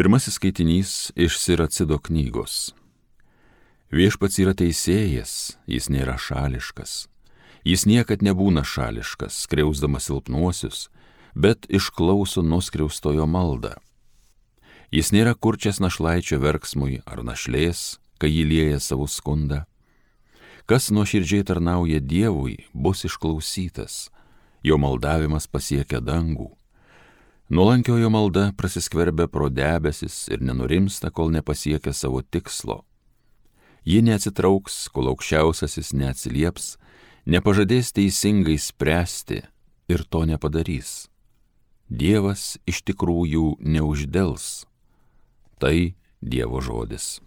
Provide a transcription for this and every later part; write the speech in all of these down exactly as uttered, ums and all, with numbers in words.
Pirmasis skaitinys iš Siracido knygos. Viešpats yra teisėjas, jis nėra šališkas. Jis niekad nebūna šališkas, skriausdamas silpnuosius, bet išklauso nuskriaustojo maldą. Jis nėra kurčias našlaičio verksmui ar našlės, kai jį lieja savo skundą. Kas nuoširdžiai tarnauja Dievui, bus išklausytas, jo maldavimas pasiekia dangų. Nuolankiojo malda prasiskverbia pro debesis ir nenurimsta, kol nepasiekia savo tikslo. Ji neatsitrauks, kol aukščiausiasis neatsilieps, nepažadės teisingai spręsti ir to nepadarys. Dievas iš tikrųjų neuždels. Tai Dievo žodis.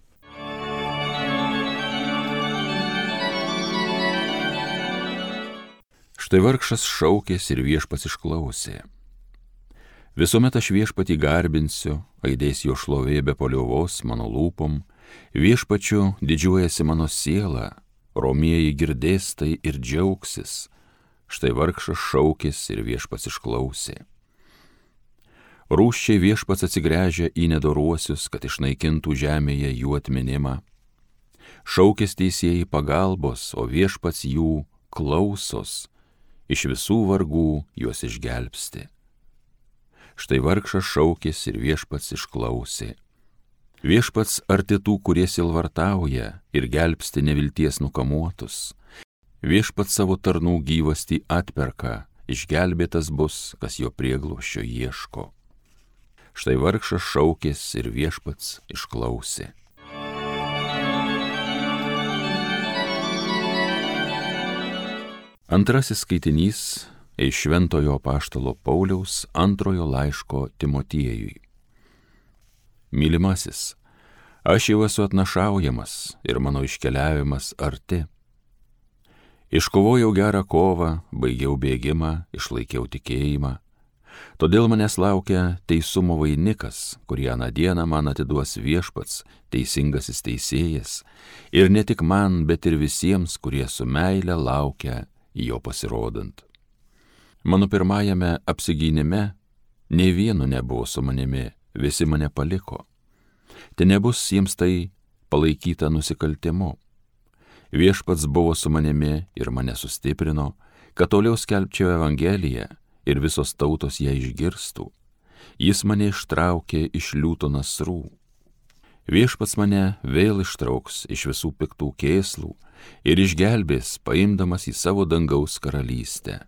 Štai vargšas šaukės ir viešpats išklausė. Visuomet aš viešpatį garbinsiu, aidės jo šlovė be paliovos mano lūpom, viešpačiu didžiuojasi mano siela, romieji girdės tai ir džiaugsis. Štai vargšas šaukės ir viešpats išklausė. Rūsčiai viešpats atsigręžia į nedoruosius, kad išnaikintų žemėje jų atminimą. Šaukės teisėjai pagalbos, o viešpats jų klausos, iš visų vargų juos išgelbsti. Štai vargšas šaukės ir viešpats išklausė. Viešpats arti tų, kurie silvartauja ir gelbsti nevilties nukamuotus. Viešpats savo tarnų gyvastį atperka, išgelbėtas bus, kas jo prieglobsčio ieško. Štai vargšas šaukės ir viešpats išklausė. Antrasis skaitinys iš Šventojo apaštalo Pauliaus antrojo laiško Timotiejui. Mylimasis, aš jau esu atnašaujamas ir mano iškeliavimas arti. Iškovojau gerą kovą, baigiau bėgimą, išlaikiau tikėjimą. Todėl manęs laukia teisumo vainikas, kurį aną dieną man atiduos viešpats, teisingasis teisėjas, ir ne tik man, bet ir visiems, kurie su meile laukia jo pasirodant. Mano pirmajame apsigynime nei vieno nebuvo su manimi, visi mane paliko. Te nebus jiems tai palaikyta nusikaltimu. Viešpats buvo su manimi ir mane sustiprino, kad toliau skelbčiau Evangeliją ir visos tautos ją išgirstų. Jis mane ištraukė iš liūto nasrų. Viešpats mane vėl ištrauks iš visų piktų kėslų ir išgelbės, paimdamas į savo dangaus karalystę.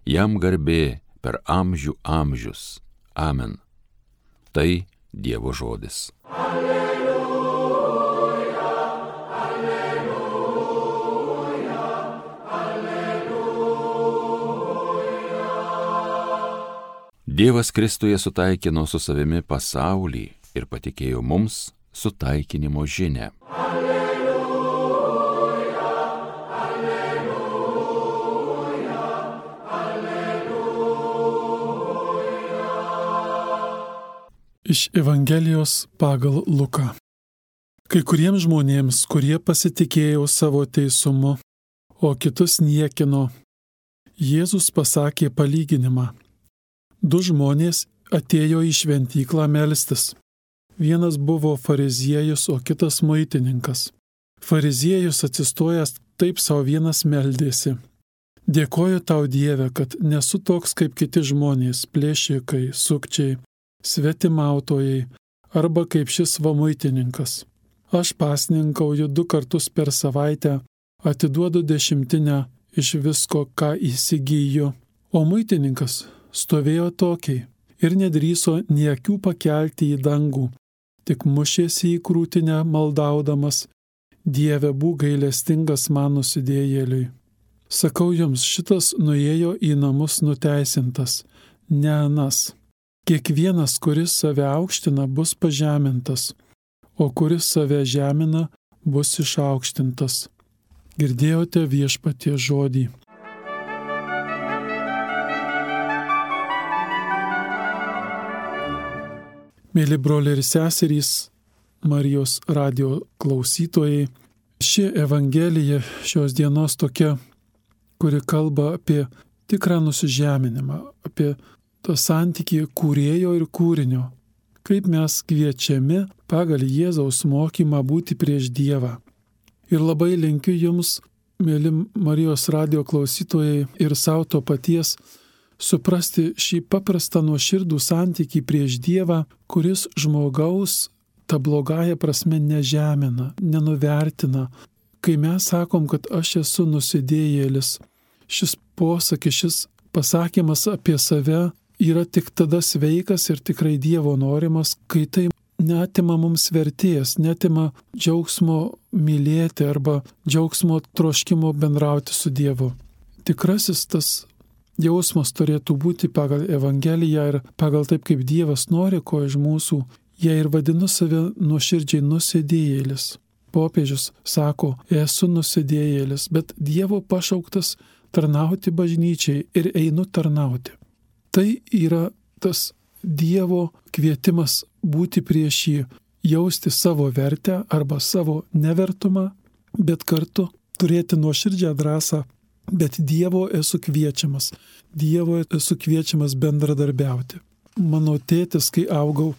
Jam garbė per amžių amžius. Amen. Tai Dievo žodis. Alleluja, alleluja, alleluja. Dievas Kristuje sutaikino su savimi pasaulį ir patikėjo mums sutaikinimo žinią. Iš Evangelijos pagal Luką. Kai kuriems žmonėms, kurie pasitikėjo savo teisumu, o kitus niekino, Jėzus pasakė palyginimą. Du žmonės atėjo į šventyklą melstis. Vienas buvo fariziejus, o kitas muitininkas. Fariziejus atsistojęs taip sau vienas meldėsi. Dėkoju tau, Dieve, kad nesu toks kaip kiti žmonės, plėšikai, sukčiai, svetimautojai arba kaip šis va muitininkas. Aš pasninkauju du kartus per savaitę, atiduodu dešimtinę iš visko, ką įsigyju. O muitininkas stovėjo tokiai ir nedrįso nė akių pakelti į dangų, tik mušėsi į krūtinę maldaudamas: Dieve, būk gailestingas man nusidėjėliui. Sakau jums, šitas nuėjo į namus nuteisintas, ne anas. Kiekvienas, kuris save aukština, bus pažemintas, o kuris save žemina, bus išaukštintas. Girdėjote Viešpaties žodį. Mėly broliai ir seserys, Marijos radijo klausytojai, ši Evangelija šios dienos tokia, kuri kalba apie tikrą nusižeminimą, apie tą santykį kūrėjo ir kūrinio, kaip mes kviečiami pagal Jėzaus mokymą būti prieš Dievą. Ir labai linkiu jums, mėly Marijos radijo klausytojai, ir savo to paties, suprasti šį paprastą nuoširdų santykį prieš Dievą, kuris žmogaus ta blogąja prasme nežemina, nenuvertina. Kai mes sakom, kad aš esu nusidėjėlis, šis posakis, šis pasakymas apie save yra tik tada sveikas ir tikrai Dievo norimas, kai tai neatima mums vertės, neatima džiaugsmo mylėti arba džiaugsmo troškimo bendrauti su Dievu. Tikrasis tas jausmas turėtų būti pagal Evangeliją ir pagal taip, kaip Dievas nori ko iš mūsų. Jei ir vadinu save nuoširdžiai nusidėjėlis. Popiežius sako, esu nusidėjėlis, bet Dievo pašauktas tarnauti bažnyčiai ir einu tarnauti. Tai yra tas Dievo kvietimas būti prieš jį, jausti savo vertę arba savo nevertumą, bet kartu turėti nuoširdžią drąsą, bet Dievo esu kviečiamas, Dievo esu kviečiamas bendradarbiauti. Mano tėtis, kai augau,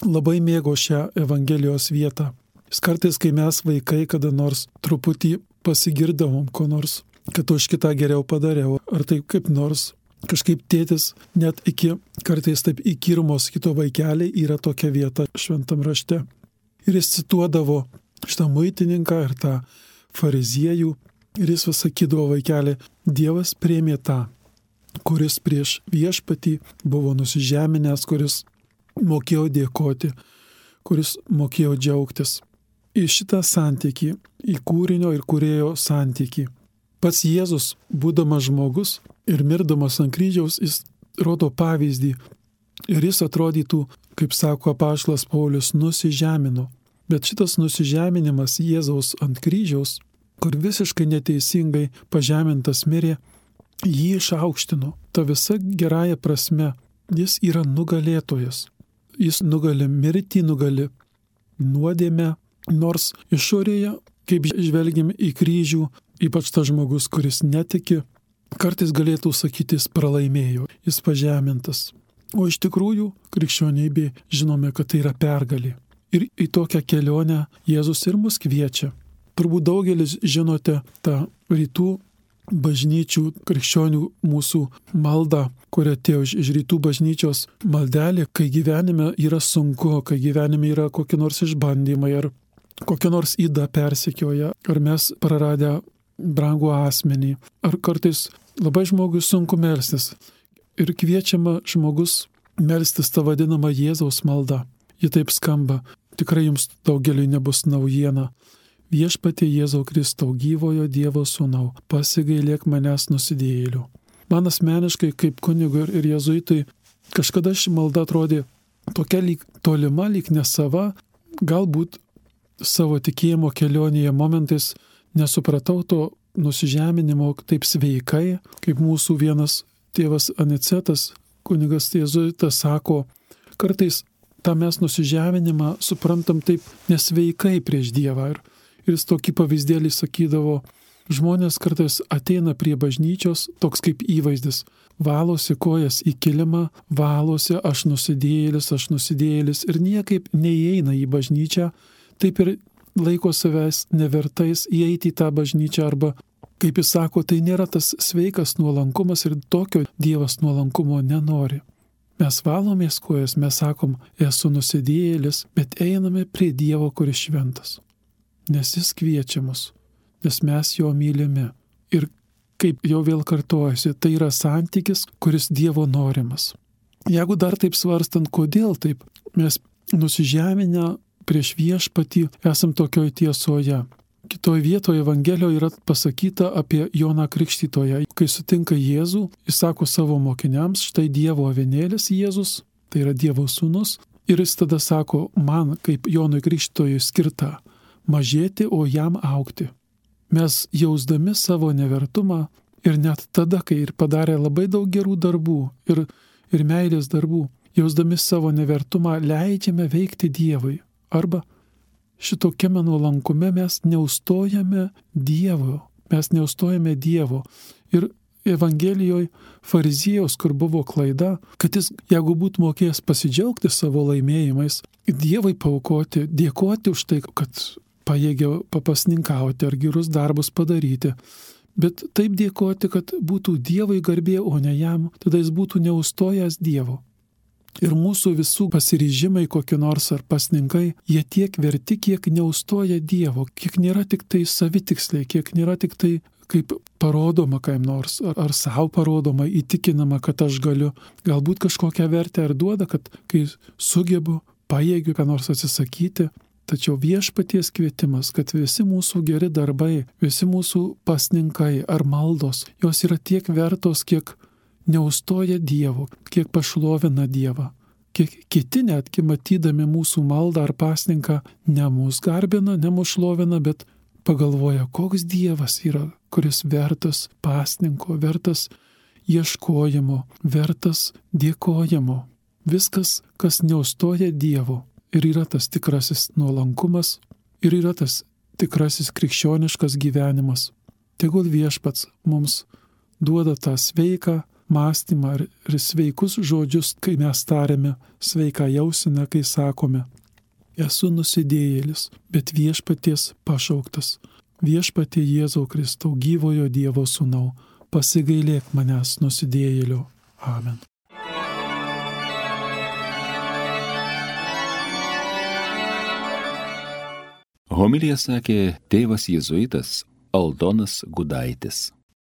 labai mėgo šią Evangelijos vietą. Jis kartais, kai mes vaikai kada nors truputį pasigirdavom ko nors, kad už kitą geriau padariau, ar taip kaip nors, kažkaip tėtis net iki kartais taip įkyrumos kito vaikeliai yra tokia vieta šventam rašte. Ir jis cituodavo šitą muitininką ir tą fariziejų ir jis vis sakydavo vaikelį, Dievas priėmė tą, kuris prieš viešpatį buvo nusižeminęs, kuris mokėjo dėkoti, kuris mokėjo džiaugtis. Į šitą santykį, į kūrinio ir kūrėjo santykį. Pats Jėzus, būdamas žmogus ir mirdamas ant kryžiaus, jis rodo pavyzdį ir jis atrodytų, kaip sako apaštalas Paulius, nusižemino. Bet šitas nusižeminimas Jėzaus ant kryžiaus, kur visiškai neteisingai pažemintas mirė, jį išaukštino. Ta visa gerąja prasme, jis yra nugalėtojas. Jis nugali mirtį, nugali nuodėmę, nors išorėje, kaip žvelgiam į kryžių, ypač tas žmogus, kuris netiki, kartais galėtų sakyti, jis pralaimėjo, jis pažemintas. O iš tikrųjų, krikščionybė žinome, kad tai yra pergalė. Ir į tokią kelionę Jėzus ir mus kviečia. Turbūt daugelis žinote tą rytų bažnyčių, krikščionių mūsų maldą, kuria atėjo iš rytų bažnyčios maldelė, kai gyvenime yra sunku, kai gyvenime yra kokie nors išbandymai, ar kokia nors yda persekioja, ar mes praradę brangų asmenį, ar kartais labai žmogui sunku melstis. Ir kviečiama žmogus melstis tą vadinamą Jėzaus maldą. Ji taip skamba, tikrai jums daugeliui nebus naujiena. Viešpatie Jėzau Kristau, gyvojo Dievo sūnau, pasigailėk manęs nusidėjėlių. Man asmeniškai kaip kunigui ir jėzuitui kažkada ši malda atrodė tokia lyg tolima, lyg nesava, galbūt savo tikėjimo kelionėje momentais nesupratau to nusižeminimo taip sveikai, kaip mūsų vienas tėvas Anicetas, kunigas jėzuitas, sako, kartais tą mes nusižeminimą suprantam taip nesveikai prieš Dievą. Ir Ir jis tokį pavyzdėlį sakydavo, žmonės kartais ateina prie bažnyčios, toks kaip įvaizdis, valosi kojas į kilimą, valosi, aš nusidėjėlis, aš nusidėjėlis ir niekaip neįeina į bažnyčią, taip ir laiko savęs nevertais įeiti į tą bažnyčią arba, kaip jis sako, tai nėra tas sveikas nuolankumas ir tokio Dievas nuolankumo nenori. Mes valomės kojas, mes sakom, esu nusidėjėlis, bet einame prie Dievo, kuris šventas. Nes jis kviečia mus, nes mes jo mylime. Ir kaip jau vėl kartojasi, tai yra santykis, kuris Dievo norimas. Jeigu dar taip svarstant, kodėl taip, mes nusižeminę prieš viešpatį esam tokioj tiesoje. Kitoj vietoje Evangelijoje yra pasakyta apie Joną Krikštytoją. Kai sutinka Jėzų, jis sako savo mokiniams, štai Dievo avinėlis Jėzus, tai yra Dievo sūnus, ir jis tada sako, man kaip Jonui Krikštytojui skirta mažėti, o jam augti. Mes jausdami savo nevertumą ir net tada, kai ir padarė labai daug gerų darbų ir, ir meilės darbų, jausdami savo nevertumą leidžiame veikti Dievui. Arba šitokiame nuolankume mes neustojame Dievo, mes neustojame Dievo. Ir Evangelijoje fariziejaus, kur buvo klaida, kad jis, jeigu būtų mokėjęs pasidžiaugti savo laimėjimais, Dievui paaukoti, dėkoti už tai, kad pajėgė papasninkauti ar gerus darbus padaryti, bet taip dėkoti, kad būtų Dievui garbė, o ne jam, tada jis būtų neustojęs Dievo. Ir mūsų visų pasiryžimai kokie nors ar pasninkai, jie tiek verti, kiek neustoja Dievo, kiek nėra tik tai savitiksliai, kiek nėra tik tai kaip parodoma kaip nors, ar, ar savo parodoma, įtikinama, kad aš galiu, galbūt kažkokią vertę ar duoda, kad kai sugebu, pajėgiu ką nors atsisakyti. Tačiau viešpaties kvietimas, kad visi mūsų geri darbai, visi mūsų pasninkai ar maldos, jos yra tiek vertos, kiek neustoja Dievo, kiek pašlovina Dievą, kiek kiti netgi matydami mūsų maldą ar pasninką ne mus garbina, ne mus šlovina, bet pagalvoja, koks Dievas yra, kuris vertas pasninko, vertas ieškojimo, vertas dėkojimo. Viskas, kas neustoja Dievo. Ir yra tas tikrasis nuolankumas, ir yra tas tikrasis krikščioniškas gyvenimas. Tegul viešpats mums duoda tą sveiką mąstymą ir sveikus žodžius, kai mes tariame, sveiką jauseną, kai sakome, esu nusidėjėlis, bet viešpaties pašauktas. Viešpatie Jėzau Kristau, gyvojo Dievo sūnau, pasigailėk manęs nusidėjėlio. Amen. Homiliją sakė tėvas jėzuitas Aldonas Gudaitis.